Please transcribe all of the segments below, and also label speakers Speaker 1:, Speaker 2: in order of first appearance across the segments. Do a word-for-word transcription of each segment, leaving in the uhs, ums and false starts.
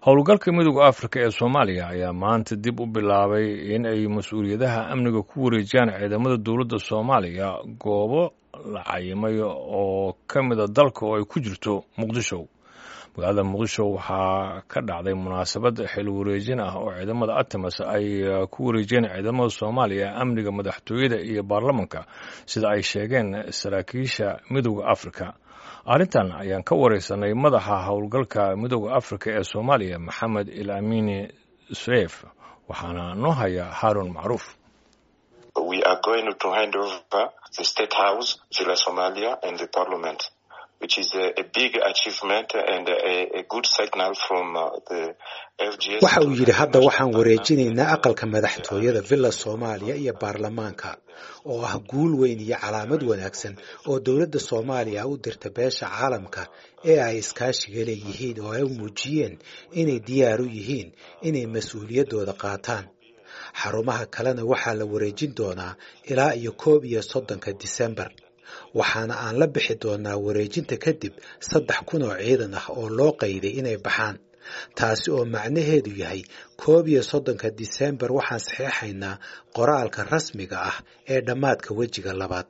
Speaker 1: Howlgalka Midowda Afrika ee Soomaaliya ayaa maanta dib u bilaabay in ay mas-uuliyadaha amniga ku wareejiyaan ciidamada dowladda Soomaaliya goobo la cayimay oo ka mida dalka oo ay ku jirto Muqdisho. Magaalada Muqdisho waxaa ka dhacday munaasabad xil wareejin ah oo ciidamada ATMIS ay ku wareejiyeen ciidamada Soomaaliya amniga madaxtooyada iyo baarlamanka, sida ay sheegeen saraakiisha Midowda Afrika. Arrintan ayaan ka wareysanay madaxa howlgalka Midowda Afrika ee Soomaaliya, Maxamed El Amiin Suef, waxaana noo haya Haarun Macruuf.
Speaker 2: We are going to hand over the State House, Villa Somalia and the Parliament, which is a, a big achievement and a, a good signal from uh, the F G S.
Speaker 3: Waxa uu yidhi, hadda waxaan wareejinaynaa aqalka madaxtooyada, Villa Soomaaliya iyo baarlamaanka, oo ah guul weyn iyo calaamad wanaagsan oo dowladda Soomaaliya u dirta beesha caalamka ee ay iskaashiga leeyihiin, oo ay u muujiyeen inay diyaar u yihiin inay mas-uuliyaddooda qaataan. Xarumaha kalena waxaa la wareejin doonaa ilaa iyo koob iyo soddonka Disembar, waxaana aan la bixi doonaa wareejinta kadib saddex kun oo ciidan ah oo loo qayday inay baxaan, taasi oo macnaheedu yahay koob iyo soddonka Disembar waxaan saxeexaynaa qoraalka rasmiga ah ee dhammaadka wejiga labaad.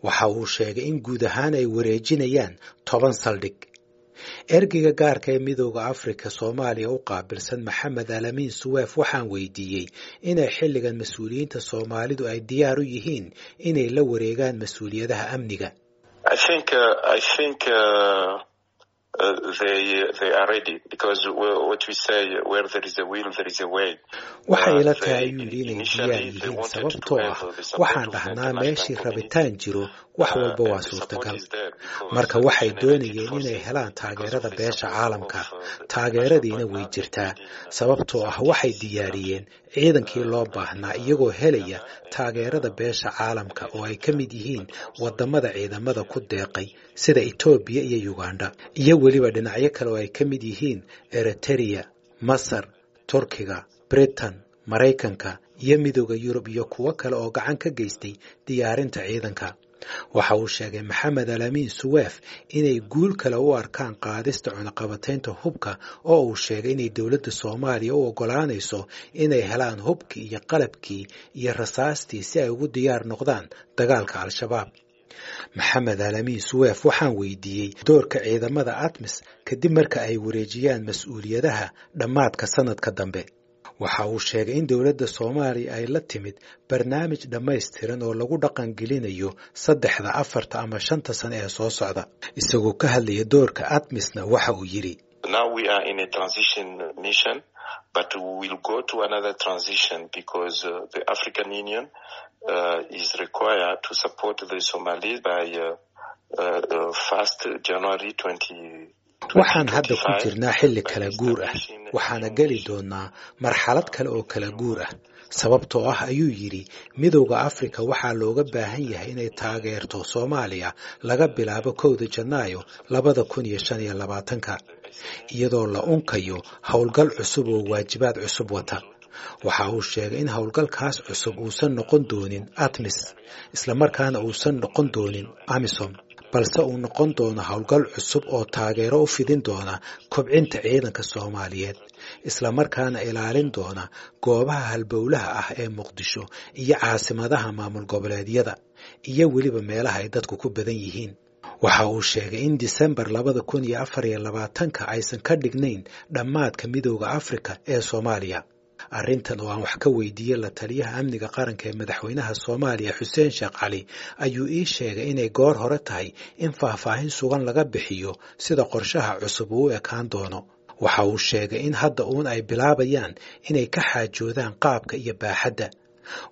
Speaker 3: Waxa uu sheegay in guud ahaan ay wareejinayaan toban saldhig. Ergeyga gaarka ee Midowda Afrika Soomaaliya u qaabilsan, Maxamed Alamiin Suweef, waxaan weydiiyey inay xilligan mas-uuliyiinta Soomaalidu ay diyaar u yihiin inay la wareegaan mas-uuliyadaha amniga.
Speaker 2: I think, uh, I think uh, uh, they, they are ready because what we say, where there is a will, there is a way.
Speaker 3: Waxay ila tahay, ayuu yidhi, inay diyaar yihiin, sababtoo ah waxaan dhahnaa meeshii rabitaan jiro wax walba waa suurtagal. Marka waxay doonayeen inay helaan taageerada beesha caalamka, taageeradiina way jirtaa, sababtoo ah waxay diyaariyeen ciidankii loo baahnaa iyagoo helaya taageerada beesha caalamka oo ay ka mid yihiin wadamada ciidamada ku deeqay sida Itoobiya iyo Uganda, iyo weliba dhinacyo kale oo ay ka mid yihiin Eritereya, Masar, Turkiga, Britain, Maraykanka iyo Midowda Yurub iyo kuwo kale oo gacan ka geystay diyaarinta ciidanka. Waxa uu sheegay Maxamed Alamiin Suweef inay guul kale u arkaan qaadista cunaqabataynta hubka, oo uu sheegay inay dowladda Soomaaliya u oggolaanayso inay helaan hubkii iyo qalabkii iyo rasaastii si ay ugu diyaar noqdaan dagaalka Al-Shabaab. Maxamed Alamiin Suweef waxaan weydiiyey doorka ciidamada ATMIS kadib marka ay wareejiyaan mas-uuliyadaha dhammaadka sanadka dambe. Waxa uu sheegay in dowladda Soomaaliya ay la timid barnaamij dhammaystiran oo lagu dhaqangelinayo saddexda, afarta ama shanta sano ee soo socda. Isagoo ka hadlaya doorka ATMISna, waxa uu yidhi:
Speaker 2: Now we are in a transition mission, but we will go to another transition because uh, the African Union uh, is required to support the Somalis by uh, uh, first January twenty.
Speaker 3: Waxaan hadda ku jirnaa xilli kala guur ah, waxaana geli doonaa marxalad kale oo kala guur ah, sababtoo ah, ayuu yidhi, Midowda Afrika waxaa looga baahan yahay inay taageerto Soomaaliya laga bilaabo kowda Janaayo labada kun iyo shan iyo labaatanka, iyadoo la unkayo howlgal cusub oo waajibaad cusub wata. Waxa uu sheegay in howlgalkaas cusub uusan noqon doonin ATMIS, islamarkaana uusan noqon doonin AMISOM, balse uu noqon doono howlgal cusub oo taageero u fidin doona kobcinta ciidanka Soomaaliyeed, islamarkaana ilaalin doona goobaha halbowlaha ah ee Muqdisho iyo caasimadaha maamul goboleedyada iyo weliba meelaha ay dadku ku badan yihiin. Waxa uu sheegay in Disembar labada kun iyo afar iyo labaatanka aysan ka dhignayn dhammaadka Midowda Afrika ee Soomaaliya. Arrintan oo aan wax ka weydiiyey la taliyaha amniga qaranka ee madaxweynaha Soomaaliya, Xuseen Sheekh Cali, ayuu ii sheegay inay goor hore tahay in faahfaahin sugan laga bixiyo sida qorshaha cusub uu u ekaan doono. Waxa uu sheegay in hadda uun ay bilaabayaan inay ka xaajoodaan qaabka iyo baaxadda.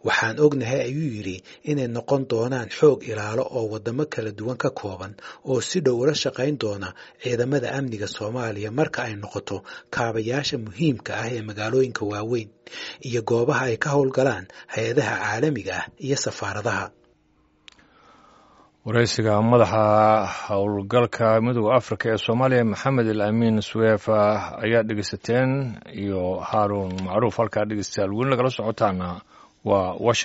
Speaker 3: Waxaan ognahay, ayuu yidhi, inay noqon doonaan xoog ilaalo oo waddamo kala duwan ka kooban oo si dhow ula shaqayn doona ciidamada amniga Soomaaliya marka ay noqoto kaabayaasha muhiimka ah ee magaalooyinka waaweyn iyo goobaha ay ka howlgalaan hay-adaha caalamiga ah iyo safaaradaha.
Speaker 1: Wareysiga madaxa howlgalka Midowda Afrika ee Soomaaliya, Maxamed El Amiin Suweef, ayaa dhegeysateen iyo Haaruun Macruuf. Halkaa dhegeystayaal weli nagala socotaana waa Washington.